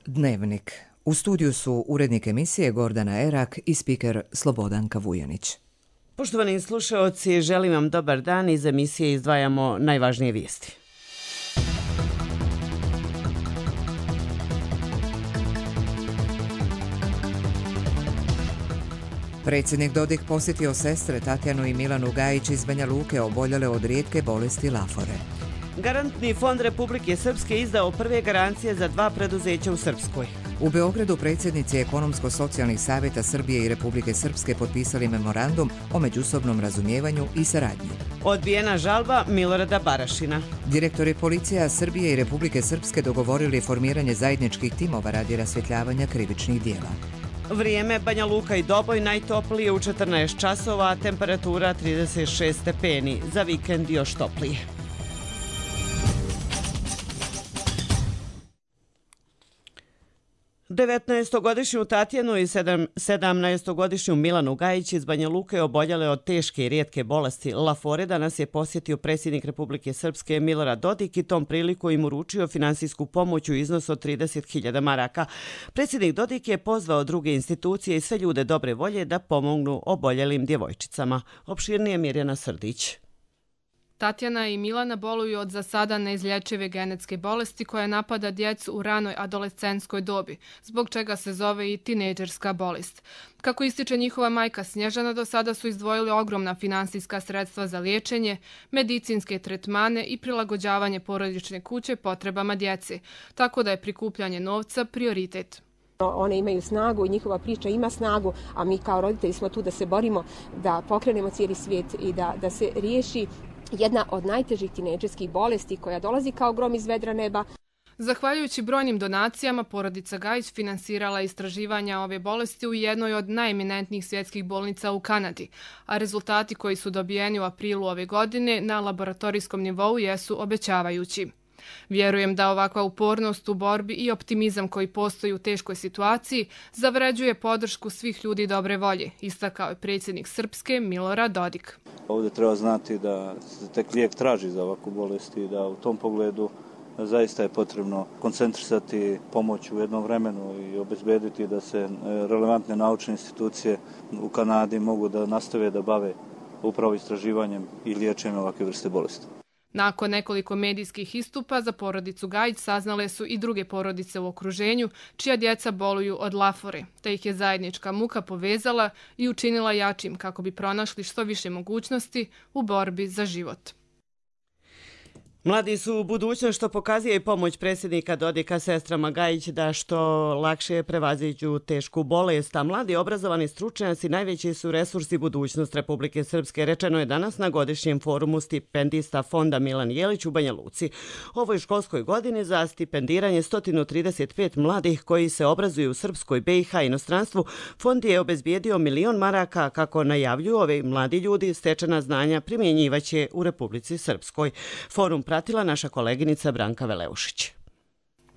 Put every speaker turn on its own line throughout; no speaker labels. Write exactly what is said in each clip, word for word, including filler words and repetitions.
Dnevnik. U studiju su urednik emisije Gordana Erak i spiker Slobodanka Vujanić.
Poštovani slušaoci, želim vam dobar dan. Iz emisije izdvajamo najvažnije vijesti.
Predsjednik Dodik posjetio sestre Tatjanu i Milanu Gajić iz Banja Luke oboljele od rijetke bolesti lafore.
Garantni fond Republike Srpske izdao prve garancije za dva preduzeća u Srpskoj.
U Beogradu predsjednici Ekonomsko-socijalnih savjeta Srbije i Republike Srpske potpisali memorandum o međusobnom razumijevanju i saradnji.
Odbijena žalba Milorada Barašina.
Direktori policija Srbije i Republike Srpske dogovorili formiranje zajedničkih timova radi rasvjetljavanja krivičnih dijela.
Vrijeme Banja Luka i Doboj najtoplije u četrnaest časova, temperatura trideset šest stepeni. Za vikend još toplije. devetnaestogodišnju Tatjanu i sedamnaestogodišnju Milanu Gajić iz Banja Luke oboljele od teške i rijetke bolesti lafore danas je posjetio predsjednik Republike Srpske Milorad Dodik i tom priliku im uručio finansijsku pomoć u iznosu od trideset hiljada maraka. Predsjednik Dodik je pozvao druge institucije i sve ljude dobre volje da pomognu oboljelim djevojčicama. Opširnije Mirjana Srdić.
Tatjana i Milana boluju od za sada neizlječive genetske bolesti koja napada djecu u ranoj adolescentskoj dobi, zbog čega se zove i tinejdžerska bolest. Kako ističe njihova majka Snježana, do sada su izdvojili ogromna finansijska sredstva za liječenje, medicinske tretmane i prilagođavanje porodične kuće potrebama djece, tako da je prikupljanje novca prioritet.
One imaju snagu i njihova priča ima snagu, a mi kao roditelji smo tu da se borimo, da pokrenemo cijeli svijet i da, da se riješi jedna od najtežih tinejdžerskih bolesti koja dolazi kao grom iz vedra neba.
Zahvaljujući brojnim donacijama, porodica Gajić finansirala istraživanja ove bolesti u jednoj od najeminentnijih svjetskih bolnica u Kanadi, a rezultati koji su dobijeni u aprilu ove godine na laboratorijskom nivou jesu obećavajući. Vjerujem da ovakva upornost u borbi i optimizam koji postoji u teškoj situaciji zavređuje podršku svih ljudi dobre volje, istakao je predsjednik Srpske Milorad Dodik.
Ovdje treba znati da se tek lijek traži za ovakvu bolest i da u tom pogledu zaista je potrebno koncentrisati pomoć u jednom vremenu i obezbediti da se relevantne naučne institucije u Kanadi mogu da nastave da bave upravo istraživanjem i liječenjem ovakve vrste bolesti.
Nakon nekoliko medijskih istupa za porodicu Gajić saznale su i druge porodice u okruženju čija djeca boluju od lafore, te ih je zajednička muka povezala i učinila jačim kako bi pronašli što više mogućnosti u borbi za život.
Mladi su budućnost, što pokazuje i pomoć predsjednika Dodika sestrama Gajić da što lakše prevaziđu tešku bolest, a mladi obrazovani stručnjaci najveći su resursi budućnost Republike Srpske, rečeno je danas na godišnjem forumu stipendista fonda Milan Jelić u Banja Luci. Ovoj školskoj godini za stipendiranje sto trideset pet mladih koji se obrazuju u Srpskoj, B i H i inostranstvu, fond je obezbijedio milion maraka, kako najavljuju ove mladi ljudi, stečena znanja primjenjivaće u Republici Srpskoj. Forum pratila naša koleginica Branka Veleušić.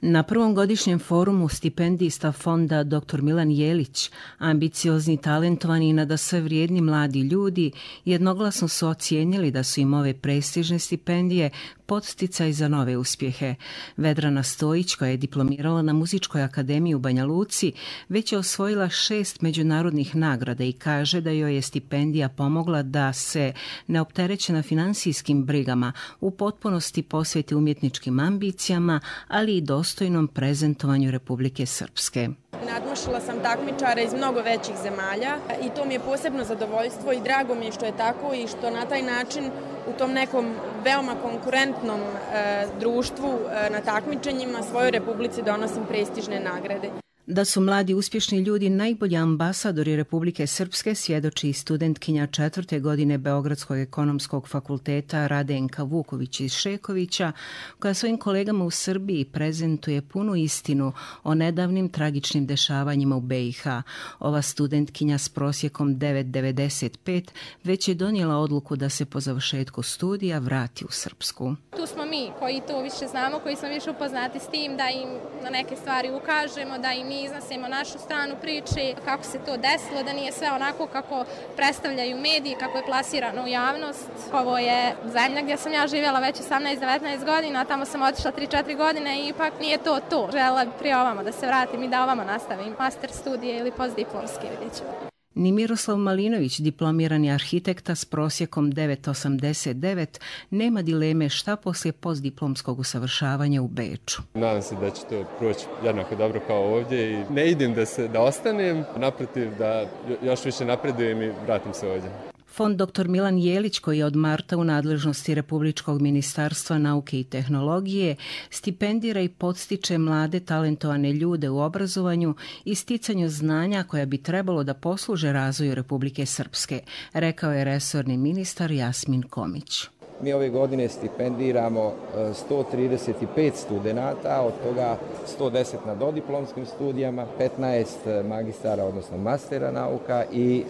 Na prvom godišnjem forumu stipendista fonda doktor Milan Jelić, ambiciozni, talentovani i nadasve vrijedni mladi ljudi jednoglasno su ocijenili da su im ove prestižne stipendije podsticaj za nove uspjehe. Vedrana Stojić, koja je diplomirala na Muzičkoj akademiji u Banja Luci, već je osvojila šest međunarodnih nagrada i kaže da joj je stipendija pomogla da se, neopterećena finansijskim brigama, u potpunosti posveti umjetničkim ambicijama, ali i dostojnom prezentovanju Republike Srpske.
Nadmašila sam takmičara iz mnogo većih zemalja i to mi je posebno zadovoljstvo i drago mi je što je tako i što na taj način u tom nekom veoma konkurentnom e, društvu e, na takmičenjima svojoj Republici donosim prestižne nagrade.
Da su mladi uspješni ljudi najbolji ambasadori Republike Srpske svjedoči i studentkinja četvrte godine Beogradskog ekonomskog fakulteta Radenka Vuković iz Šekovića, koja svojim kolegama u Srbiji prezentuje punu istinu o nedavnim tragičnim dešavanjima u B i H. Ova studentkinja s prosjekom devet zarez devedeset pet već je donijela odluku da se po završetku studija vrati u Srpsku.
Tu smo mi koji to više znamo, koji smo više upoznati s tim, da im na neke stvari ukažemo, da im mi iznosimo našu stranu priče, kako se to desilo, da nije sve onako kako predstavljaju mediji, kako je plasirano u javnost. Ovo je zemlja gdje sam ja živjela već osamnaest devetnaest godina, tamo sam otišla tri četiri godine i ipak nije to to. Želela bi prije ovamo da se vratim i da ovamo nastavim master studije ili postdiplomski, vidjet ćemo.
Ni Miroslav Malinović, diplomirani arhitekta s prosjekom devet zarez osamdeset devet, nema dileme šta poslije postdiplomskog usavršavanja u Beču.
Nadam se da će to proći jednako dobro kao ovdje i ne idem da, se, da ostanem, naprotiv da još više napredujem i vratim se ovdje.
Fond doktor Milan Jelić, koji je od marta u nadležnosti Republičkog ministarstva nauke i tehnologije, stipendira i podstiče mlade talentovane ljude u obrazovanju i sticanju znanja koja bi trebalo da posluže razvoju Republike Srpske, rekao je resorni ministar Jasmin Komić.
Mi ove godine stipendiramo sto trideset pet studenata, od toga sto deset na dodiplomskim studijama, petnaest magistara, odnosno mastera nauka i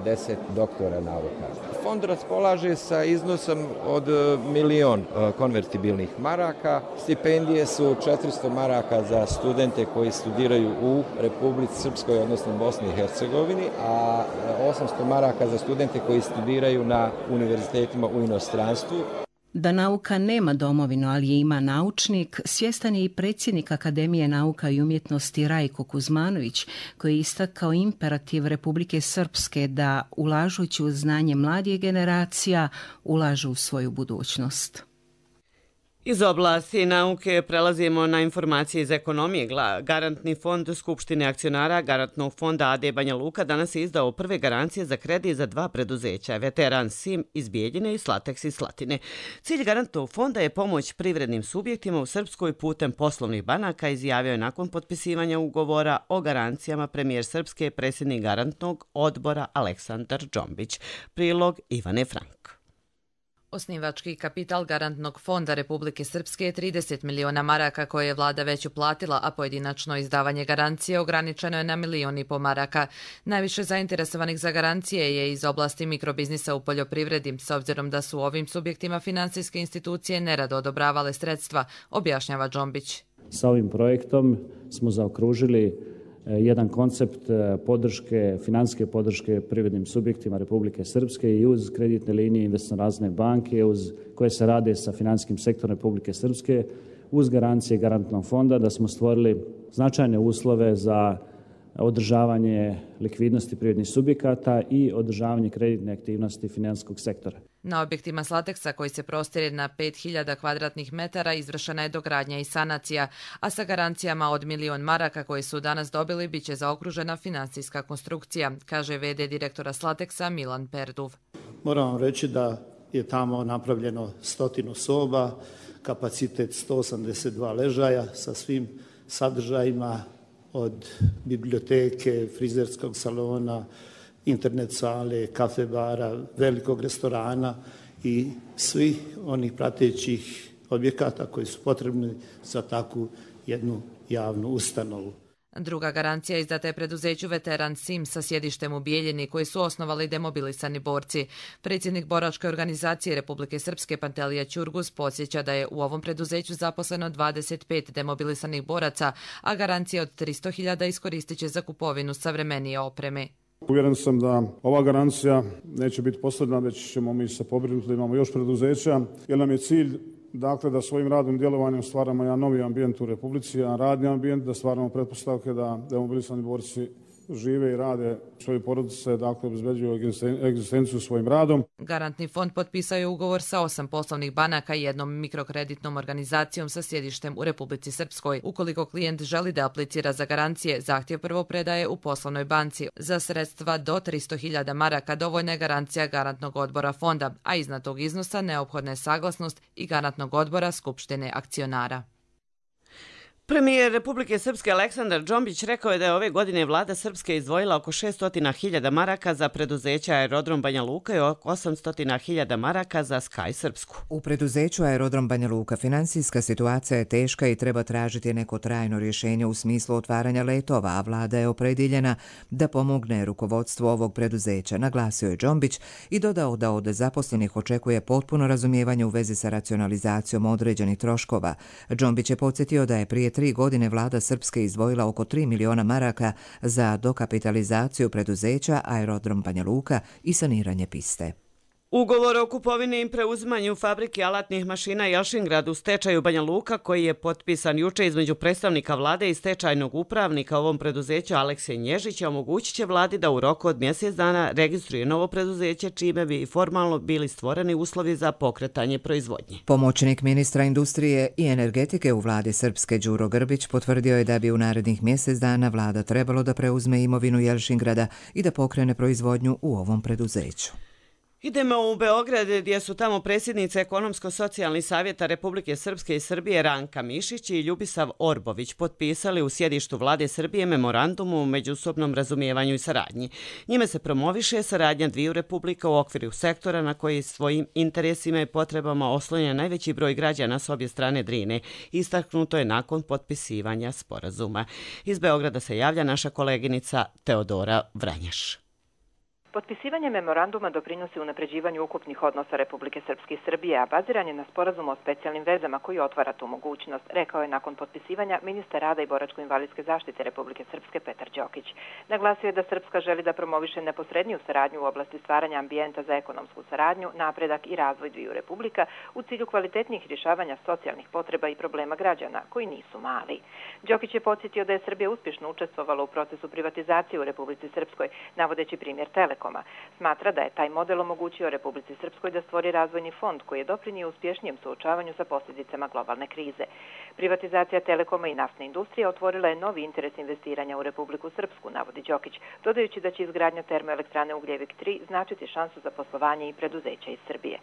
deset doktora nauka. Fond raspolaže sa iznosom od milion konvertibilnih maraka. Stipendije su četiristo maraka za studente koji studiraju u Republici Srpskoj, odnosno Bosni i Hercegovini, a osamsto maraka za studente koji studiraju na univerzitetima u inostranstvu.
Da nauka nema domovinu, ali je ima naučnik, svjestan je i predsjednik Akademije nauka i umjetnosti Rajko Kuzmanović, koji je istakao imperativ Republike Srpske da, ulažući u znanje mladih generacija, ulažu u svoju budućnost.
Iz oblasti nauke prelazimo na informacije iz ekonomije. Garantni fond Skupštine akcionara Garantnog fonda A D Banja Luka danas je izdao prve garancije za kredit za dva preduzeća, Veteran Sim iz Bijeljine i Slatex iz Slatine. Cilj Garantnog fonda je pomoć privrednim subjektima u Srpskoj putem poslovnih banaka, izjavio je nakon potpisivanja ugovora o garancijama premijer Srpske, predsjednik Garantnog odbora Aleksandar Džombić. Prilog Ivane Frank.
Osnivački kapital Garantnog fonda Republike Srpske je trideset miliona maraka koje je vlada već uplatila, a pojedinačno izdavanje garancije ograničeno je na milion i po maraka. Najviše zainteresovanih za garancije je iz oblasti mikrobiznisa u poljoprivredi, s obzirom da su ovim subjektima finansijske institucije nerado odobravale sredstva, objašnjava Džombić.
Sa ovim projektom smo zaokružili jedan koncept podrške, financijske podrške privrednim subjektima Republike Srpske i uz kreditne linije investiciono razvojne banke uz koje se rade sa financijskim sektorom Republike Srpske, uz garancije Garantnog fonda, da smo stvorili značajne uslove za održavanje likvidnosti privrednih subjekata i održavanje kreditne aktivnosti financijskog sektora.
Na objektima Slatexa, koji se prostire na pet hiljada kvadratnih metara, izvršena je dogradnja i sanacija, a sa garancijama od milion maraka koje su danas dobili biće zaokružena finansijska konstrukcija, kaže ve de direktora Slatexa Milan Perduv.
Moram vam reći da je tamo napravljeno stotinu soba, kapacitet sto osamdeset dva ležaja sa svim sadržajima od biblioteke, frizerskog salona, internet sale, kafe bara, velikog restorana i svih onih pratećih objekata koji su potrebni za takvu jednu javnu ustanovu.
Druga garancija izdata je preduzeću Veteran Sim sa sjedištem u Bijeljini, koji su osnovali demobilisani borci. Predsjednik boračke organizacije Republike Srpske Pantelija Ćurgus podsjeća da je u ovom preduzeću zaposleno dvadeset pet demobilisanih boraca, a garancija od tristo hiljada iskoristit će za kupovinu savremenije opreme.
Uvjeren sam da ova garancija neće biti posljedna, već ćemo mi se pobrinuti da imamo još preduzeća, jer nam je cilj dakle da svojim radnim djelovanjem stvaramo jedan novi ambijent u Republici, jedan radni ambijent, da stvaramo pretpostavke da demobilisani borci žive i rade svoje porodice, dakle obezbeđuju egzistenciju svojim radom.
Garantni fond potpisao je ugovor sa osam poslovnih banaka i jednom mikrokreditnom organizacijom sa sjedištem u Republici Srpskoj. Ukoliko klijent želi da aplicira za garancije, zahtjev prvo predaje u poslovnoj banci. Za sredstva do tristo hiljada maraka dovoljna je garancija Garantnog odbora fonda, a iznad tog iznosa neophodna je saglasnost i Garantnog odbora Skupštine akcionara.
Premijer Republike Srpske Aleksandar Džombić rekao je da je ove godine vlada Srpske izdvojila oko šesto hiljada maraka za preduzeća Aerodrom Banja Luka i oko osamsto hiljada maraka za Sky Srpsku.
U preduzeću Aerodrom Banja Luka finansijska situacija je teška i treba tražiti neko trajno rješenje u smislu otvaranja letova, a vlada je opredjeljena da pomogne rukovodstvu ovog preduzeća, naglasio je Džombić i dodao da od zaposlenih očekuje potpuno razumijevanje u vezi sa racionalizacijom određenih troškova. Džombić je podsjetio da je prije tri godine vlada Srpske izdvojila oko tri miliona maraka za dokapitalizaciju preduzeća Aerodrom Banja Luka i saniranje piste.
Ugovor o kupovini i preuzimanju fabrike alatnih mašina Jelšingrad u stečaju Banja Luka, koji je potpisan juče između predstavnika vlade i stečajnog upravnika ovom preduzeću Aleksija Nježića, omogućit će vladi da u roku od mjesec dana registruje novo preduzeće, čime bi formalno bili stvoreni uslovi za pokretanje proizvodnje.
Pomoćnik ministra industrije i energetike u vladi Srpske Đuro Grbić potvrdio je da bi u narednih mjesec dana vlada trebalo da preuzme imovinu Jelšingrada i da pokrene proizvodnju u ovom preduzeću.
Idemo u Beograd, gdje su tamo predsjednice Ekonomsko-socijalnih savjeta Republike Srpske i Srbije Ranka Mišić i Ljubisav Orbović potpisali u sjedištu vlade Srbije memorandum o međusobnom razumijevanju i saradnji. Njime se promoviše saradnja dviju republika u okviru sektora na koji svojim interesima i potrebama oslonja najveći broj građana s obje strane Drine. Istaknuto je nakon potpisivanja sporazuma. Iz Beograda se javlja naša koleginica Teodora Vranjaš.
Potpisivanje memoranduma doprinosi unapređivanju ukupnih odnosa Republike Srpske i Srbije, a baziran je na sporazumu o specijalnim vezama koji otvara tu mogućnost, rekao je nakon potpisivanja ministar rada i boračko-invalidske zaštite Republike Srpske Petar Đokić. Naglasio je da Srpska želi da promoviše neposredniju saradnju u oblasti stvaranja ambijenta za ekonomsku saradnju, napredak i razvoj dviju republika u cilju kvalitetnijih rješavanja socijalnih potreba i problema građana, koji nisu mali. Đokić je podsjetio da je Srbija uspješno učestvovala u procesu privatizacije u Republici Srpskoj, navodeći primjer Telekom. Smatra da je taj model omogućio Republici Srpskoj da stvori razvojni fond koji je doprinio uspješnijem suočavanju sa posljedicama globalne krize. Privatizacija Telekoma i naftne industrije otvorila je novi interes investiranja u Republiku Srpsku, navodi Đokić, dodajući da će izgradnja termoelektrane Ugljevik tri značiti šansu za poslovanje i preduzeća iz Srbije.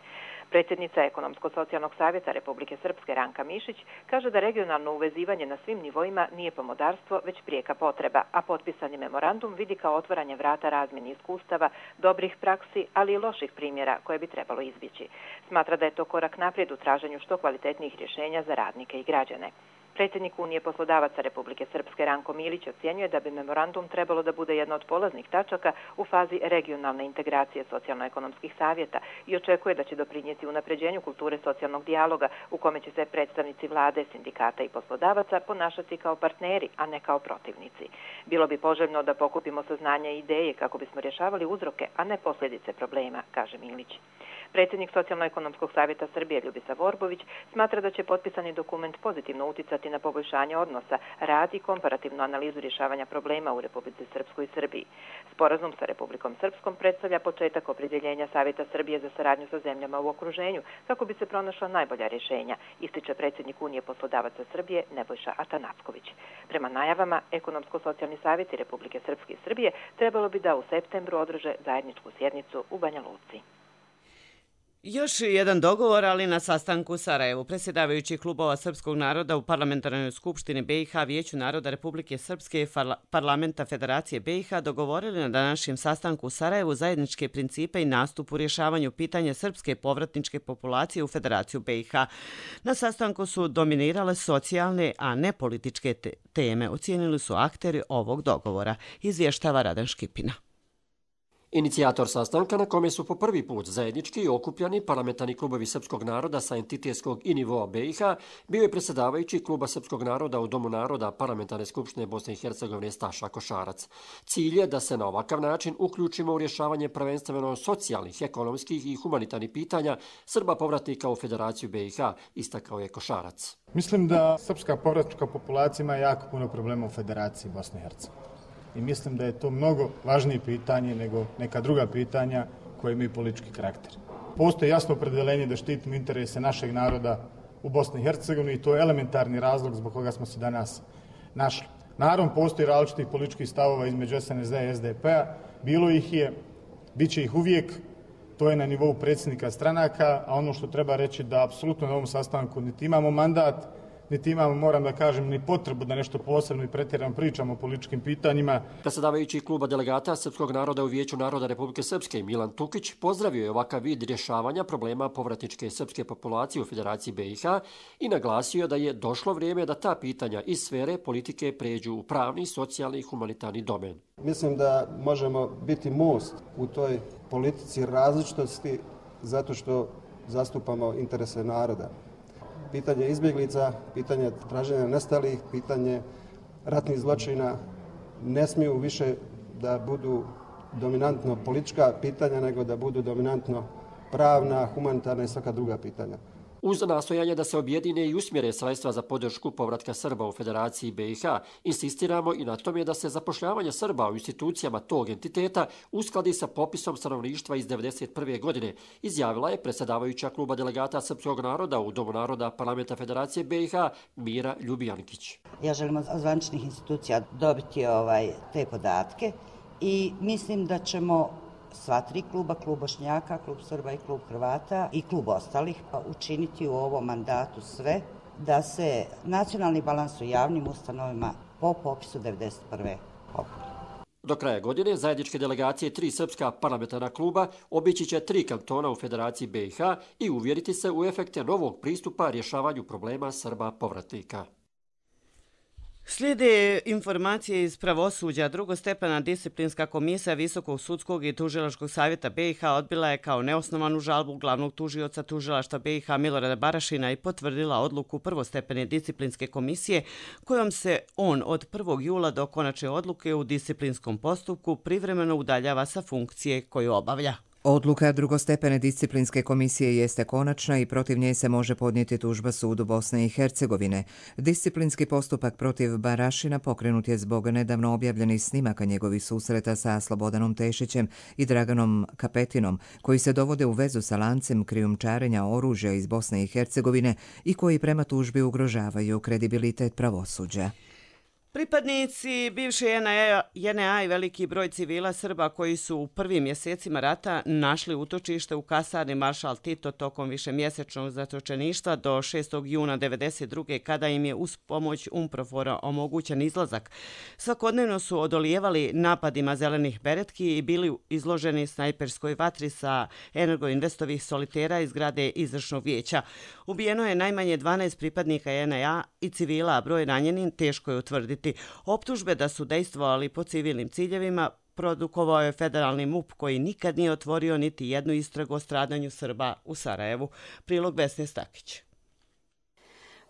Predsjednica Ekonomsko-socijalnog savjeta Republike Srpske Ranka Mišić kaže da regionalno uvezivanje na svim nivoima nije pomodarstvo, već prijeka potreba, a potpisani memorandum vidi kao otvaranje vrata razmjeni iskustava, dobrih praksi, ali i loših primjera koje bi trebalo izbjeći. Smatra da je to korak naprijed u traženju što kvalitetnijih rješenja za radnike i građane. Predsjednik Unije poslodavaca Republike Srpske Ranko Milić ocjenjuje da bi memorandum trebalo da bude jedna od polaznih tačaka u fazi regionalne integracije socijalno-ekonomskih savjeta i očekuje da će doprinijeti unapređenju kulture socijalnog dijaloga u kome će se predstavnici vlade, sindikata i poslodavaca ponašati kao partneri, a ne kao protivnici. Bilo bi poželjno da pokupimo saznanja i ideje kako bismo rješavali uzroke, a ne posljedice problema, kaže Milić. Predsjednik Socijalno-ekonomskog savjeta Srbije Ljubisav Orbović smatra da će potpisani dokument pozitivno uticati na poboljšanje odnosa, rad i komparativnu analizu rješavanja problema u Republici Srpskoj i Srbiji. Sporazum sa Republikom Srpskom predstavlja početak opredjeljenja Savjeta Srbije za saradnju sa zemljama u okruženju kako bi se pronašla najbolja rješenja, ističe predsjednik Unije poslodavaca Srbije Nebojša Atanacković. Prema najavama, Ekonomsko-socijalni savjeti Republike Srpske i Srbije trebalo bi da u septembru održe zajedničku sjednicu u Banja Luci.
Još jedan dogovor, ali na sastanku u Sarajevu. Predsjedavajući klubova srpskog naroda u Parlamentarnoj skupštini B i H Vijeću naroda Republike Srpske i Parlamenta Federacije B i H dogovorili na današnjem sastanku u Sarajevu zajedničke principe i nastup u rješavanju pitanja srpske povratničke populacije u Federaciju B i H. Na sastanku su dominirale socijalne, a ne političke teme, ocijenili su akteri ovog dogovora, izvještava Radan Škipina.
Inicijator sastanka na kome su po prvi put zajednički okupljani parlamentarni klubovi srpskog naroda sa entitetskog i nivoa B i H bio je predsjedavajući kluba srpskog naroda u Domu naroda Parlamentarne skupštine Bosne i Hercegovine Staša Košarac. Cilj je da se na ovakav način uključimo u rješavanje prvenstveno socijalnih, ekonomskih i humanitarnih pitanja Srba povratnika u Federaciju B i H, istakao je Košarac.
Mislim da srpska povratnička populacija ima jako puno problema u Federaciji Bosne i Hercegovine. I mislim da je to mnogo važnije pitanje nego neka druga pitanja koje imaju politički karakter. Postoji jasno opredeljenje da štitimo interese našeg naroda u Bosni i Hercegovini i to je elementarni razlog zbog koga smo se danas našli. Naravno, postoji različitih političkih stavova između S N S D i S D P-a, bilo ih je, bit će ih uvijek, to je na nivou predsjednika stranaka, a ono što treba reći da apsolutno na ovom sastanku niti imamo mandat, niti imamo, moram da kažem, ni potrebu da nešto posebno i pretjerano pričamo o političkim pitanjima.
Predsjedavajući kluba delegata Srpskog naroda u Vijeću naroda Republike Srpske Milan Tukić pozdravio je ovakav vid rješavanja problema povratničke srpske populacije u Federaciji B i H i naglasio da je došlo vrijeme da ta pitanja iz sfere politike pređu u pravni, socijalni i humanitarni domen.
Mislim da možemo biti most u toj politici različitosti zato što zastupamo interese naroda. pitanje izbjeglica, pitanje traženja nestalih, pitanje ratnih zločina ne smiju više da budu dominantno politička pitanja, nego da budu dominantno pravna, humanitarna i svaka druga pitanja.
Uz nastojanje da se objedine i usmjere sredstva za podršku povratka Srba u Federaciji B i H, insistiramo i na tome da se zapošljavanje Srba u institucijama tog entiteta uskladi sa popisom stanovništva iz devedeset prve. godine, izjavila je predsjedavajuća kluba delegata Srpskog naroda u Domu naroda Parlamenta Federacije B i H Mira Ljubijankić.
Ja želim od zvaničnih institucija dobiti ovaj, te podatke i mislim da ćemo sva tri kluba, klub Bošnjaka, klub Srba i klub Hrvata i klub ostalih učiniti u ovom mandatu sve da se nacionalni balans u javnim ustanovama po popisu devedeset prve. popravi.
Do kraja godine zajedničke delegacije tri srpska parlamentarna kluba obići će tri kantona u Federaciji B i H i uvjeriti se u efekte novog pristupa rješavanju problema Srba povratnika.
Slijede informacije iz pravosuđa. Drugostepena disciplinska komisija Visokog sudskog i tužilačkog savjeta B i H odbila je kao neosnovanu žalbu glavnog tužioca tužilaštva B i H Milorada Barašina i potvrdila odluku prvostepene disciplinske komisije kojom se on od prvog jula do konačne odluke u disciplinskom postupku privremeno udaljava sa funkcije koju obavlja.
Odluka drugostepene disciplinske komisije jeste konačna i protiv nje se može podnijeti tužba sudu Bosne i Hercegovine. Disciplinski postupak protiv Barašina pokrenut je zbog nedavno objavljenih snimaka njegovih susreta sa Slobodanom Tešićem i Draganom Kapetinom, koji se dovode u vezu sa lancem krijumčarenja oružja iz Bosne i Hercegovine i koji prema tužbi ugrožavaju kredibilitet pravosuđa.
Pripadnici bivše J N A i veliki broj civila Srba koji su u prvim mjesecima rata našli utočište u kasarni Maršal Tito tokom višemjesečnog zatočeništva do šestog juna devedeset druge. kada im je uz pomoć UNPROFOR-a omogućen izlazak. Svakodnevno su odolijevali napadima zelenih beretki i bili izloženi snajperskoj vatri sa Energoinvestovih solitera iz zgrade izvršnog vijeća. Ubijeno je najmanje dvanaest pripadnika J N A i civila, a broj ranjenih teško je utvrditi. Optužbe da su dejstvovali po civilnim ciljevima produkovao je federalni M U P koji nikad nije otvorio niti jednu istragu o stradanju Srba u Sarajevu. Prilog Vesne Stakić.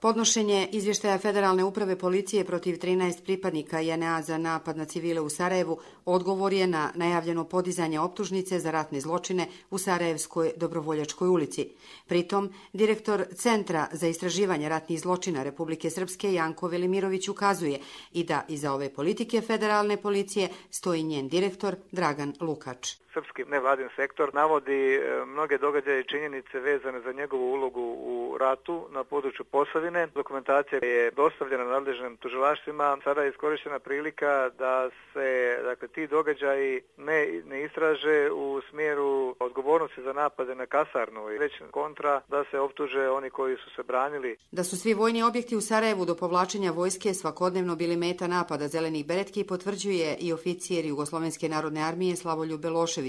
Podnošenje izvještaja Federalne uprave policije protiv trinaest pripadnika J N A za napad na civile u Sarajevu odgovor je na najavljeno podizanje optužnice za ratne zločine u Sarajevskoj Dobrovoljačkoj ulici. Pritom, direktor Centra za istraživanje ratnih zločina Republike Srpske Janko Velimirović ukazuje i da iza ove politike federalne policije stoji njen direktor Dragan Lukač.
Srpski nevladin sektor navodi mnoge događaje i činjenice vezane za njegovu ulogu u ratu na području Posavine. Dokumentacija je dostavljena nadležnim tužilaštvima. Sada je iskorištena prilika da se dakle, ti događaji ne, ne istraže u smjeru odgovornosti za napade na kasarnu i već kontra da se optuže oni koji su se branili.
Da su svi vojni objekti u Sarajevu do povlačenja vojske svakodnevno bili meta napada zelenih beretki potvrđuje i oficijer Jugoslovenske narodne armije Slavoljub Belošević,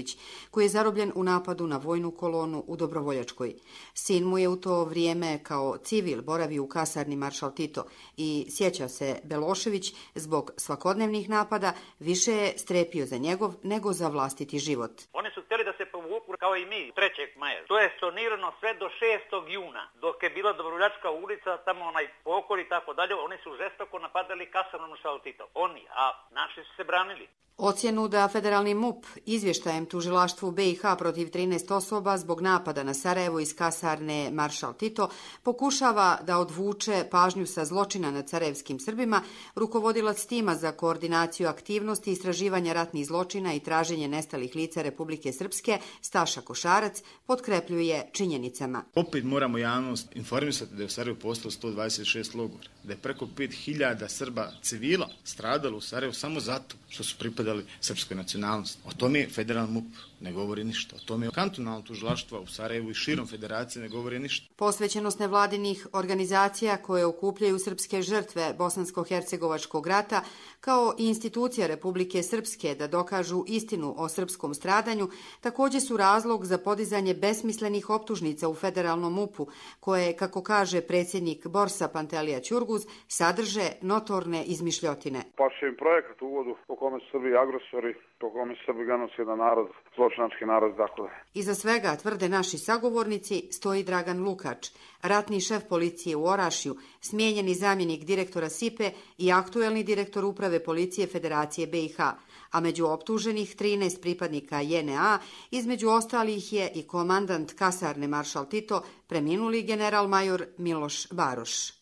koji je zarobljen u napadu na vojnu kolonu u Dobrovoljačkoj. Sin mu je u to vrijeme kao civil boravio u kasarni Maršal Tito i sjeća se Belošević zbog svakodnevnih napada više je strepio za njegov nego za vlastiti život.
Oni su htjeli da se povuku kao i mi trećeg maja. To je stornirano sve do šestog juna. Dok je bila Dobrovoljačka ulica, tamo onaj pokor i tako dalje, oni su žestoko napadali kasarnu Maršal Tito. Oni, a naši su se branili.
Ocjenu da federalni M U P izvještajem tužilaštvu B i H protiv trinaest osoba zbog napada na Sarajevo iz kasarne Maršal Tito pokušava da odvuče pažnju sa zločina nad sarajevskim Srbima, rukovodilac tima za koordinaciju aktivnosti istraživanja ratnih zločina i traženje nestalih lica Republike Srpske Staša Košarac potkrepljuje činjenicama.
Opet moramo javnost informisati da je u Sarajevu postalo sto dvadeset šest logora, da je preko pet hiljada Srba civila stradalo u Sarajevu samo zato što su pripadali srpskoj nacionalnosti. O tome federalni M U P ne govori ništa. O tome kantonalno tužilaštvo u Sarajevu i širom federacije ne govori ništa.
Posvećenost nevladinih organizacija koje okupljaju srpske žrtve Bosansko-hercegovačkog rata kao i institucija Republike Srpske da dokažu istinu o srpskom stradanju također su razlog za podizanje besmislenih optužnica u federalnom M U P-u koje, kako kaže predsjednik Borsa Pantelija Ćurguz, sadrže notorne izmišljotine.
Pašće im projekat u uvodu po kome su Srbi
bili agresori, po kome Srbi genocidan narod, zločinački narod, dakle.
Iza svega, tvrde naši sagovornici, stoji Dragan Lukač, ratni šef policije u Orašju, smijenjeni zamjenik direktora SIPE i aktuelni direktor uprave policije Federacije B i H, a među optuženih trinaest pripadnika J N A, između ostalih je i komandant kasarne Maršal Tito, preminuli general major Miloš Baroš.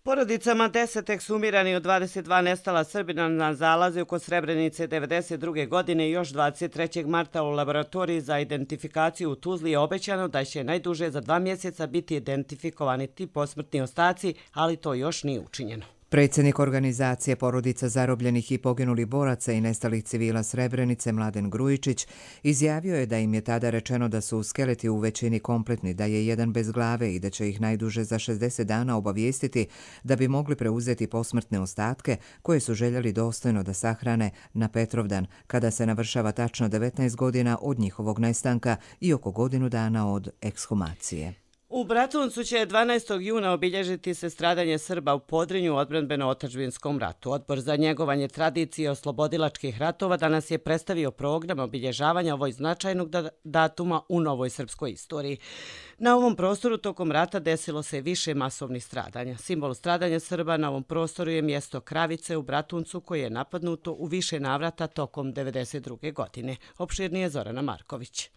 Porodicama deset ekshumiranih od dvadeset dva nestala Srbina na zalaze oko Srebrenice devedeset druge godine i još dvadeset trećeg marta u laboratoriji za identifikaciju u Tuzli je obećano da će najduže za dva mjeseca biti identifikovani ti posmrtni ostaci, ali to još nije učinjeno.
Predsjednik organizacije porodica zarobljenih i poginulih boraca i nestalih civila Srebrenice Mladen Grujičić izjavio je da im je tada rečeno da su skeleti u većini kompletni, da je jedan bez glave i da će ih najduže za šezdeset dana obavijestiti da bi mogli preuzeti posmrtne ostatke koje su željeli dostojno da sahrane na Petrovdan, kada se navršava tačno devetnaest godina od njihovog nestanka i oko godinu dana od ekshumacije.
U Bratuncu će dvanaestog juna obilježiti se stradanje Srba u Podrinju u odbrambeno-otadžbinskom ratu. Odbor za njegovanje tradicije oslobodilačkih ratova danas je predstavio program obilježavanja ovoj značajnog datuma u novoj srpskoj istoriji. Na ovom prostoru tokom rata desilo se više masovnih stradanja. Simbol stradanja Srba na ovom prostoru je mjesto Kravice u Bratuncu koje je napadnuto u više navrata tokom devedeset druge godine. Opširnije Zorana Marković.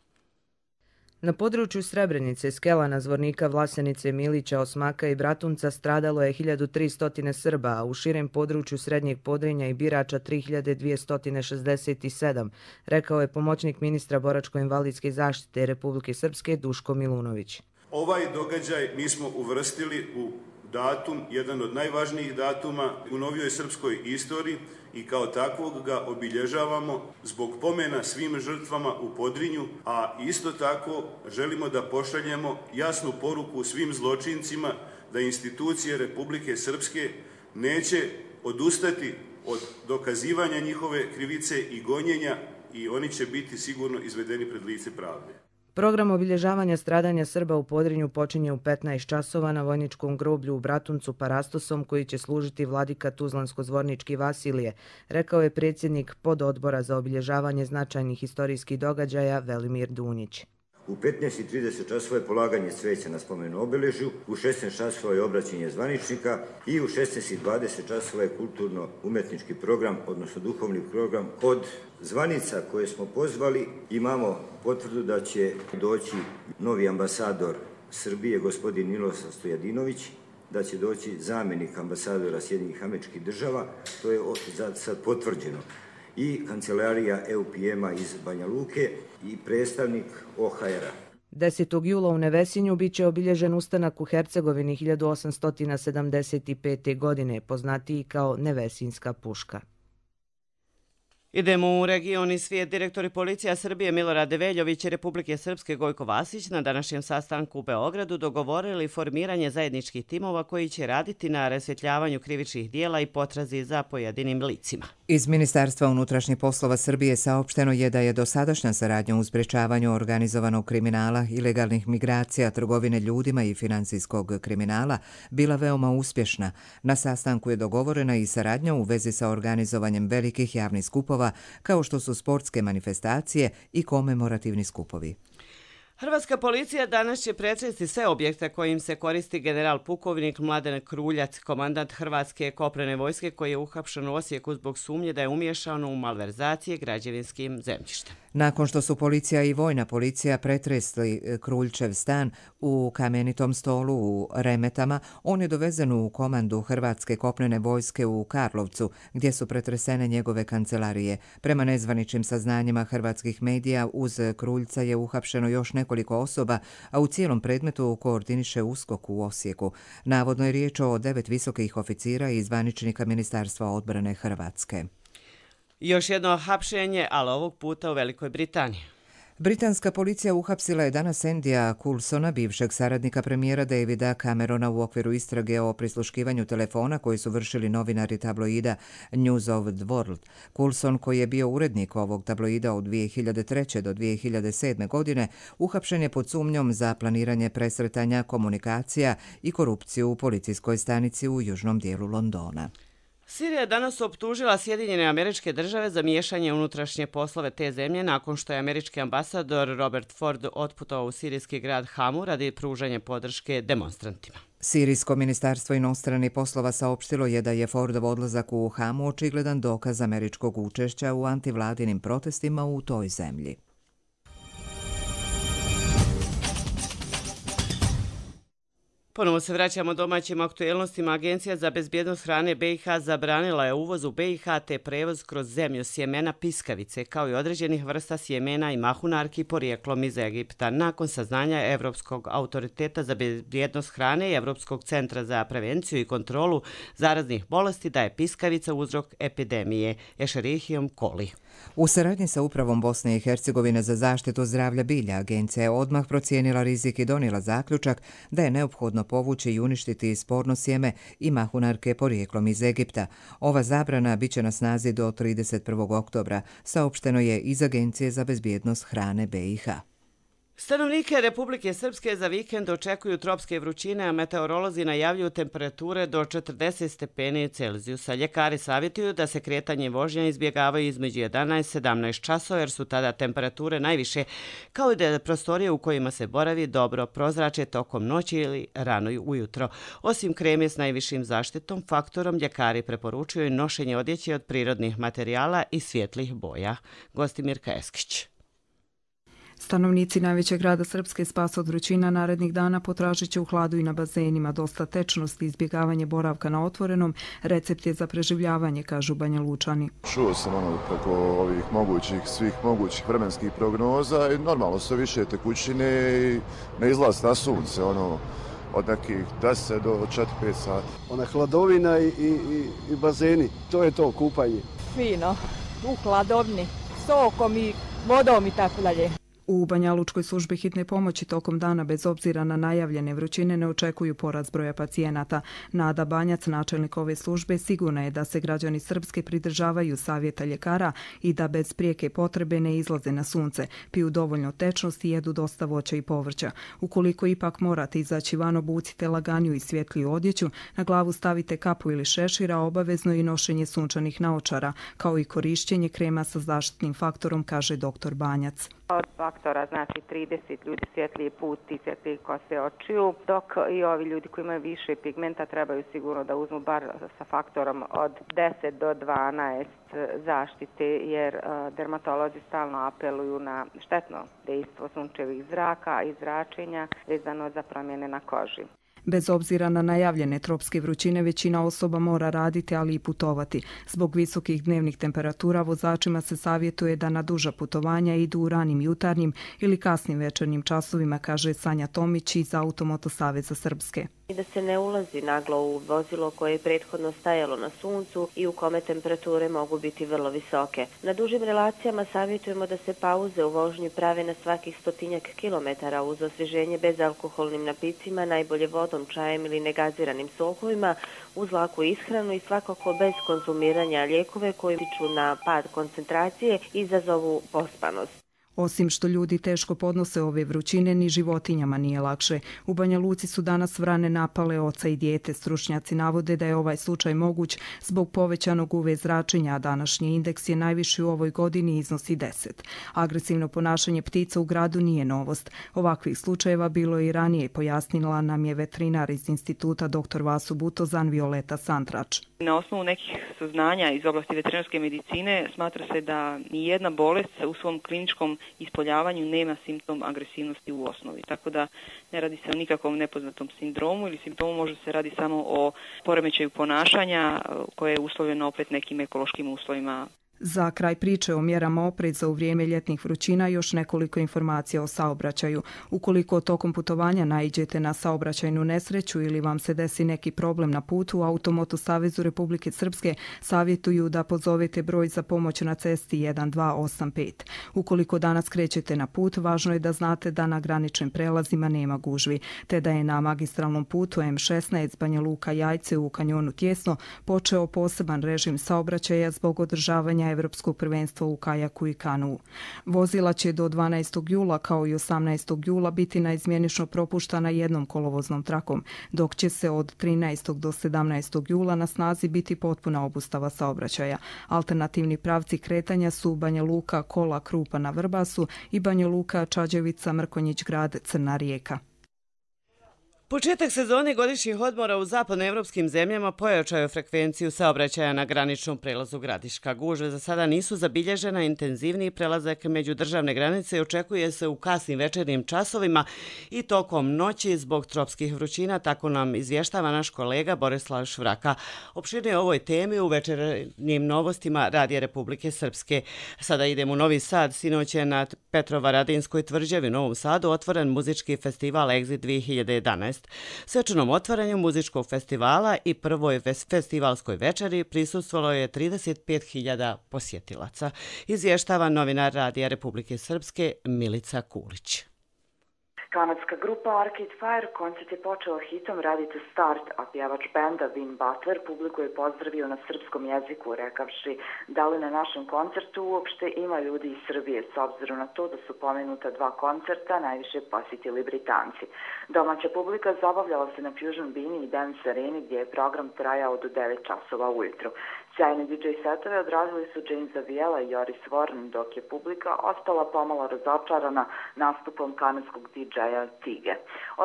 Na području Srebrenice, Skelana, Zvornika, Vlasenice, Milića, Osmaka i Bratunca stradalo je hiljadu tristo Srba, a u širem području Srednjeg Podrinja i Birača tri hiljade dvjesto šezdeset sedam, rekao je pomoćnik ministra boračko-invalidske zaštite Republike Srpske Duško Milunović.
Ovaj događaj mi smo uvrstili u datum, jedan od najvažnijih datuma u novijoj srpskoj istoriji i kao takvog ga obilježavamo zbog pomena svim žrtvama u Podrinju, a isto tako želimo da pošaljemo jasnu poruku svim zločincima da institucije Republike Srpske neće odustati od dokazivanja njihove krivice i gonjenja i oni će biti sigurno izvedeni pred lice pravde.
Program obilježavanja stradanja Srba u Podrinju počinje u petnaest časova na vojničkom groblju u Bratuncu Parastosom koji će služiti vladika Tuzlansko-Zvornički Vasilije, rekao je predsjednik pododbora za obilježavanje značajnih istorijskih događaja Velimir Dunjić.
U petnaest i trideset časova je polaganje cveća na spomenu obeležju, u šesnaest časova je obraćanje zvaničnika i u šesnaest i dvadeset časova je kulturno-umetnički program, odnosno duhovni program. Od zvanica koje smo pozvali imamo potvrdu da će doći novi ambasador Srbije, gospodin Milosav Stojadinović, da će doći zamjenik ambasadora Sjedinjenih Američkih Država, to je sad potvrđeno, i kancelarija E U P M-a iz Banja Luke i predstavnik O H R-a.
desetog jula u Nevesinju biće obilježen ustanak u Hercegovini hiljadu osamsto sedamdeset pete. godine, poznatiji kao Nevesinska puška.
Idemo u region i svijet. Direktori policija Srbije Milorad Veljović i Republike Srpske Gojko Vasić na današnjem sastanku u Beogradu dogovorili formiranje zajedničkih timova koji će raditi na rasvjetljavanju krivičnih dijela i potrazi za pojedinim licima.
Iz Ministarstva unutrašnjih poslova Srbije saopšteno je da je dosadašnja saradnja u sprečavanju organizovanog kriminala, ilegalnih migracija, trgovine ljudima i financijskog kriminala bila veoma uspješna. Na sastanku je dogovorena i saradnja u vezi sa organizovanjem velikih javnih skupova kao što su sportske manifestacije i komemorativni skupovi.
Hrvatska policija danas će pretresti sve objekte kojim se koristi general pukovnik Mladen Kruljac, komandant Hrvatske kopnene vojske koji je uhapšen u Osijeku zbog sumnje da je umiješan u malverzacije građevinskim zemljištem.
Nakon što su policija i vojna policija pretresli Kruljčev stan u Kamenitom Stolu u Remetama, on je dovezen u komandu Hrvatske kopnene vojske u Karlovcu, gdje su pretresene njegove kancelarije. Prema nezvaničnim saznanjima hrvatskih medija, uz Kruljca je uhapšeno još nekoliko osoba, a u cijelom predmetu koordiniše USKOK u Osijeku. Navodno je riječ o devet visokih oficira i zvaničnika Ministarstva odbrane Hrvatske.
Još jedno hapšenje, ali ovog puta u Velikoj Britaniji.
Britanska policija uhapsila je danas Andya Coulsona, bivšeg saradnika premijera Davida Camerona u okviru istrage o prisluškivanju telefona koji su vršili novinari tabloida News of the World. Coulson, koji je bio urednik ovog tabloida od dvije hiljade treće do dvije hiljade sedme. godine, uhapšen je pod sumnjom za planiranje presretanja komunikacija i korupciju u policijskoj stanici u južnom dijelu Londona.
Sirija je danas optužila Sjedinjene Američke Države za miješanje unutrašnje poslove te zemlje nakon što je američki ambasador Robert Ford otputovao u sirijski grad Hamu radi pružanja podrške demonstrantima.
Sirijsko ministarstvo inostranih poslova saopštilo je da je Fordov odlazak u Hamu očigledan dokaz američkog učešća u antivladinim protestima u toj zemlji.
Ponovo se vraćamo domaćim aktuelnostima. Agencija za bezbjednost hrane B i H zabranila je uvoz u B i H te prevoz kroz zemlju sjemena piskavice, kao i određenih vrsta sjemena i mahunarki porijeklom iz Egipta, nakon saznanja Evropskog autoriteta za bezbjednost hrane i Evropskog centra za prevenciju i kontrolu zaraznih bolesti da je piskavica uzrok epidemije Escherichium coli.
U saradnji sa Upravom Bosne i Hercegovine za zaštitu zdravlja bilja, agencija je odmah procijenila rizik i donijela zaključak da je neophodno povući i uništiti sporno sjeme i mahunarke porijeklom iz Egipta. Ova zabrana bit će na snazi do trideset prvog oktobra, saopšteno je iz Agencije za bezbjednost hrane B i H.
Stanovnike Republike Srpske za vikend očekuju tropske vrućine, a meteorolozi najavljuju temperature do četrdeset stepeni Celzijusa. Ljekari savjetuju da se kretanje vožnja izbjegavaju između jedanaest i sedamnaest časova jer su tada temperature najviše, kao i da prostorije u kojima se boravi dobro prozrače tokom noći ili rano ujutro. Osim kreme s najvišim zaštitnom faktorom, ljekari preporučuju nošenje odjeće od prirodnih materijala i svjetlih boja. Gostimirka Eskić.
Stanovnici najvećeg grada Srpske spas od vrućina narednih dana potražit će u hladu i na bazenima. Dosta tečnosti i izbjegavanje boravka na otvorenom recept je za preživljavanje, kažu Banja Lučani.
Čuo sam ono preko ovih mogućih, svih mogućih vremenskih prognoza i normalno sve više tekućine i ne izlaz na sunce, ono od nekih deset do četiri pet sati.
Ona hladovina i, i, i bazeni, to je to kupanje.
Fino, u hladovni, sokom i vodom i tako dalje.
U Banja Lučkoj službi hitne pomoći tokom dana bez obzira na najavljene vrućine ne očekuju porast broja pacijenata. Nada Banjac, načelnik ove službe, sigurna je da se građani Srpske pridržavaju savjeta ljekara i da bez prijeke potrebe ne izlaze na sunce, piju dovoljno tečnosti i jedu dosta voća i povrća. Ukoliko ipak morate izaći van, obucite laganiju i svjetliju odjeću, na glavu stavite kapu ili šešira, obavezno i nošenje sunčanih naočara, kao i korišćenje krema sa zaštitnim faktorom, kaže doktor Banjac.
Od faktora, znači trideset ljudi svjetliji put i svjetliji kose očiju, dok i ovi ljudi koji imaju više pigmenta trebaju sigurno da uzmu bar sa faktorom od deset do dvanaest zaštite, jer dermatolozi stalno apeluju na štetno dejstvo sunčevih zraka i zračenja vezano za promjene na koži.
Bez obzira na najavljene tropske vrućine, većina osoba mora raditi, ali i putovati. Zbog visokih dnevnih temperatura vozačima se savjetuje da na duža putovanja idu u ranim jutarnjim ili kasnim večernjim časovima, kaže Sanja Tomić iz Automoto Saveza Srpske.
I da se ne ulazi naglo u vozilo koje je prethodno stajalo na suncu i u kome temperature mogu biti vrlo visoke. Na dužim relacijama savjetujemo da se pauze u vožnji prave na svakih stotinjak kilometara uz osvježenje bezalkoholnim napicima, najbolje vodom, čajem ili negaziranim sokovima, uz laku ishranu i svakako bez konzumiranja lijekove koji utiču na pad koncentracije i izazovu pospanost.
Osim što ljudi teško podnose ove vrućine, ni životinjama nije lakše. U Banja Luci su danas vrane napale oca i dijete. Stručnjaci navode da je ovaj slučaj moguć zbog povećanog U V zračenja, a današnji indeks je najviši u ovoj godini i iznosi deset. Agresivno ponašanje ptica u gradu nije novost. Ovakvih slučajeva bilo je i ranije, pojasnila nam je veterinar iz instituta doktor Vasu Butozan Violeta Santrač.
Na osnovu nekih saznanja iz oblasti veterinarske medicine smatra se da nijedna bolest u svom kliničkom ispoljavanju nema simptom agresivnosti u osnovi. Tako da ne radi se o nikakvom nepoznatom sindromu ili simptomu, može se radi samo o poremećaju ponašanja koje je uslovljeno opet nekim ekološkim uslovima.
Za kraj priče o mjerama opreza u vrijeme ljetnih vrućina još nekoliko informacija o saobraćaju. Ukoliko tokom putovanja naiđete na saobraćajnu nesreću ili vam se desi neki problem na putu, u Automoto Savezu Republike Srpske savjetuju da pozovete broj za pomoć na cesti jedan dva osam pet. Ukoliko danas krećete na put, važno je da znate da na graničnim prelazima nema gužvi, te da je na magistralnom putu M šesnaest Banja Luka Jajce u kanjonu Tjesno počeo poseban režim saobraćaja zbog održavanja Evropskog prvenstva u kajaku i kanuu. Vozila će do dvanaestog jula kao i osamnaestog jula biti naizmjenično propuštana jednom kolovoznom trakom, dok će se od trinaestog do sedamnaestog jula na snazi biti potpuna obustava saobraćaja. Alternativni pravci kretanja su Banja Luka, Kola, Krupa na Vrbasu i Banja Luka, Čađevica, Mrkonjić Grad, Crna Rijeka.
Početak sezone godišnjih odmora u zapadnoevropskim zemljama pojačao je frekvenciju saobraćaja na graničnom prelazu Gradiška. Gužve za sada nisu zabilježena, intenzivniji prelazak među državne granice očekuje se u kasnim večernjim časovima i tokom noći zbog tropskih vrućina, tako nam izvještava naš kolega Borislav Švraka. Opširnije o ovoj temi u večernjim novostima Radija Republike Srpske. Sada idemo u Novi Sad. Sinoć je na Petrovaradinskoj tvrđavi u Novom Sadu otvoren muzički festival Exit dvije hiljade jedanaest. Svečanom otvaranju muzičkog festivala i prvoj festivalskoj večeri prisustvovalo je trideset pet hiljada posjetilaca. Izvještava novinar Radija Republike Srpske Milica Kulić.
Kanadska grupa Arcade Fire koncert je počela hitom Ready to Start, a pjevač benda Vin Butler publiku je pozdravio na srpskom jeziku, rekavši da li na našem koncertu uopšte ima ljudi iz Srbije, s obzirom na to da su pomenuta dva koncerta najviše posjetili Britanci. Domaća publika zabavljala se na Fusion Bini i Dance Areni gdje je program trajao do devet časova ujutru. Sjajne D J setove odradili su James Aviela i Joris Warren, dok je publika ostala pomalo razočarana nastupom kanadskog D J-a Tige.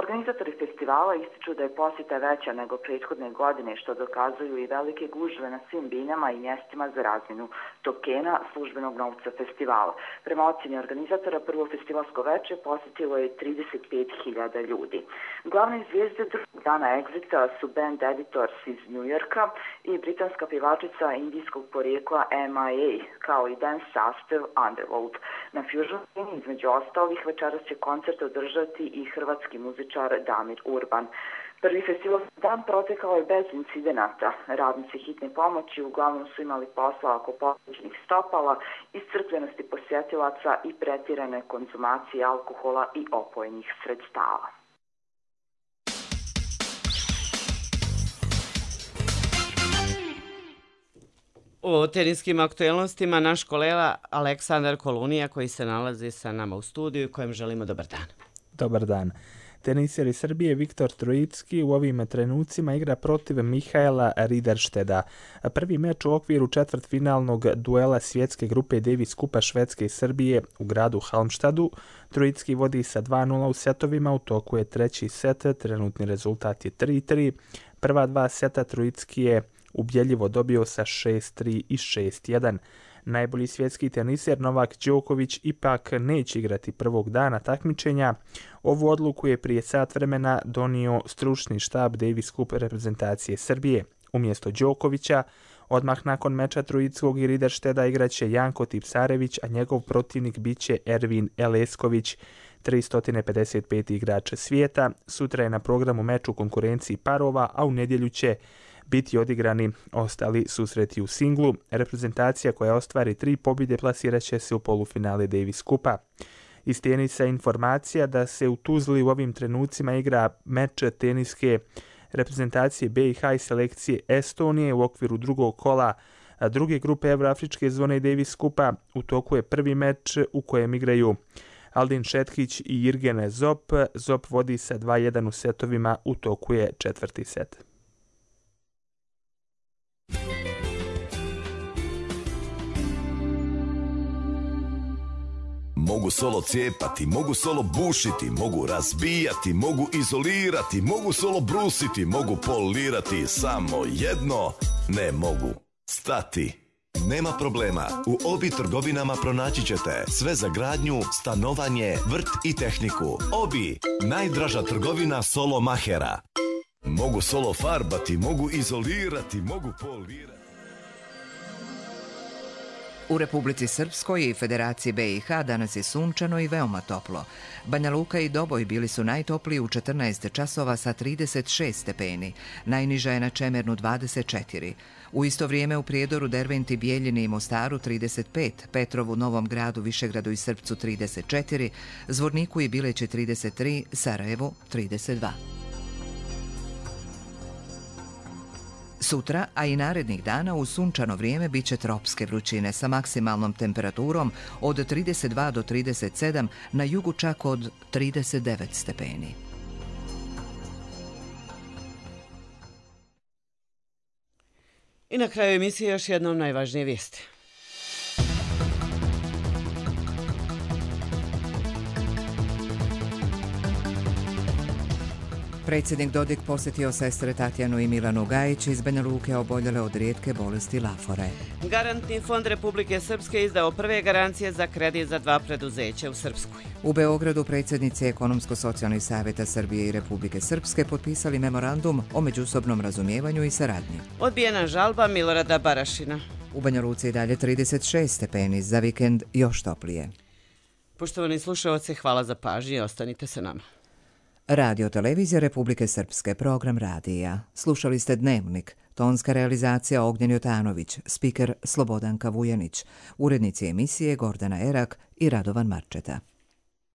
Organizatori festivala ističu da je posjeta veća nego prethodne godine, što dokazuju i velike gužve na svim binama i mjestima za razmjenu tokena službenog novca festivala. Prema ocjeni organizatora, prvo festivalsko večer posjetilo je trideset pet hiljada ljudi. Glavne zvijezde drugog dana Exita su band Editors iz New Yorka i britanska pjevačica indijskog porijekla M I A, kao i dance sastav Underworld. Na Fusion Scene između ostalih večeras će koncert održati i hrvatski muzičar Damir Urban. Prvi festivalski dan protekao je bez incidenata. Radnici hitne pomoći uglavnom su imali posla oko poslušnih stopala, iscrpljenosti posjetilaca i pretirane konzumacije alkohola i opojnih sredstava.
O teniskim aktuelnostima naš kolega Aleksandar Kolunija koji se nalazi sa nama u studiju kojem želimo dobar dan.
Dobar dan. Teniser iz Srbije Viktor Trojicki u ovim trenucima igra protiv Mihaela Rideršteda. Prvi meč u okviru četvrtfinalnog duela svjetske grupe Davis Kupa Švedske i Srbije u gradu Halmstadu. Trojicki vodi sa dva nula u setovima, u toku je treći set, trenutni rezultat je tri tri. Prva dva seta Trojicki je ubjedljivo dobio sa šest tri i šest jedan. Najbolji svjetski teniser Novak Đoković ipak neće igrati prvog dana takmičenja. Ovu odluku je prije sat vremena donio stručni štab Davis Cup reprezentacije Srbije. Umjesto Đokovića, odmah nakon meča Trojickog i Rideršteda igraće Janko Tipsarević, a njegov protivnik biće Ervin Elesković, tristo pedeset peti igrač svijeta. Sutra je na programu meč u konkurenciji parova, a u nedjelju će biti odigrani ostali susreti u singlu. Reprezentacija koja ostvari tri pobjede plasirat će se u polufinale Davis Kupa. Iz tenisa informacija da se u Tuzli u ovim trenucima igra meč teniske reprezentacije B i H i selekcije Estonije u okviru drugog kola druge grupe Evroafričke zone Davis Kupa. U toku je prvi meč u kojem igraju Aldin Šetkić i Jirgen Zop. Zop vodi sa dva jedan u setovima, u toku je četvrti set.
Mogu solo cijepati, mogu solo bušiti, mogu razbijati, mogu izolirati, mogu solo brusiti, mogu polirati, samo jedno ne mogu stati. Nema problema, u Obi trgovinama pronaći ćete sve za gradnju, stanovanje, vrt i tehniku. Obi, najdraža trgovina solo mahera. Mogu solo farbati, mogu izolirati, mogu polirati.
U Republici Srpskoj i Federaciji B i H danas je sunčano i veoma toplo. Banja Luka i Doboj bili su najtopliji u četrnaest časova sa trideset šest stepeni, najniža je na Čemernu dvadeset četiri. U isto vrijeme u Prijedoru, Derventi, Bijeljini i Mostaru trideset pet, Petrovu, Novom Gradu, Višegradu i Srpcu trideset četiri, Zvorniku i Bileći trideset tri, Sarajevu trideset dva. Sutra, a i narednih dana u sunčano vrijeme bit će tropske vrućine sa maksimalnom temperaturom od trideset dva do trideset sedam, na jugu čak od trideset devet stepeni.
I na kraju emisije još jednom najvažnije vijesti.
Predsjednik Dodik posjetio sestre Tatjanu i Milanu Gajić iz Banja Luke oboljele od rijetke bolesti lafore.
Garantni fond Republike Srpske izdao prve garancije za kredit za dva preduzeća u Srpskoj.
U Beogradu predsjednici Ekonomsko-socijalnih savjeta Srbije i Republike Srpske potpisali memorandum o međusobnom razumijevanju i saradnji.
Odbijena žalba Milorada Barašina.
U Banja Luci i dalje trideset šest stepeni, za vikend još toplije.
Poštovani slušalci, hvala za pažnju i ostanite se nama.
Radio Televizija Republike Srpske, program radija. Slušali ste Dnevnik, tonska realizacija Ognjen Jotanović, spiker Slobodanka Vujanić, urednici emisije Gordana Erak i Radovan Marčeta.